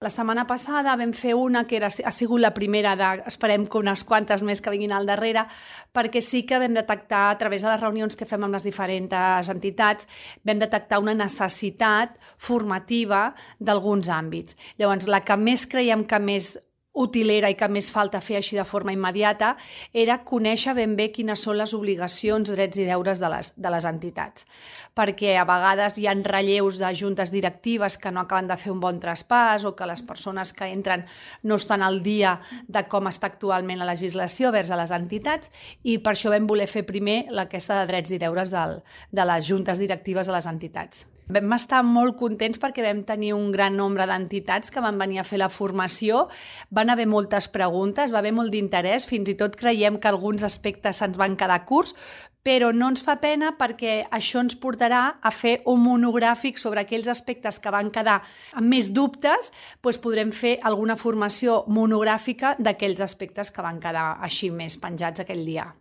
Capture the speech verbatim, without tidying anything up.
La setmana passada vam fer una que era, ha sigut la primera de, esperem que unes quantes més que vinguin al darrere, perquè sí que vam detectar, a través de les reunions que fem amb les diferents entitats, vam detectar una necessitat formativa d'alguns àmbits. Llavors, la que més creiem que més útil era i que més falta fer així de forma immediata era conèixer ben bé quines són les obligacions, drets i deures de les, de les entitats. Perquè a vegades hi ha relleus de juntes directives que no acaben de fer un bon traspàs o que les persones que entren no estan al dia de com està actualment la legislació vers a les entitats, i per això vam voler fer primer aquesta de drets i deures del, de les juntes directives de les entitats. Vam estar molt contents perquè vam tenir un gran nombre d'entitats que van venir a fer la formació, van haver moltes preguntes, va haver molt d'interès, fins i tot creiem que alguns aspectes se'ns van quedar curts, però no ens fa pena perquè això ens portarà a fer un monogràfic sobre aquells aspectes que van quedar amb més dubtes, doncs podrem fer alguna formació monogràfica d'aquells aspectes que van quedar així més penjats aquell dia.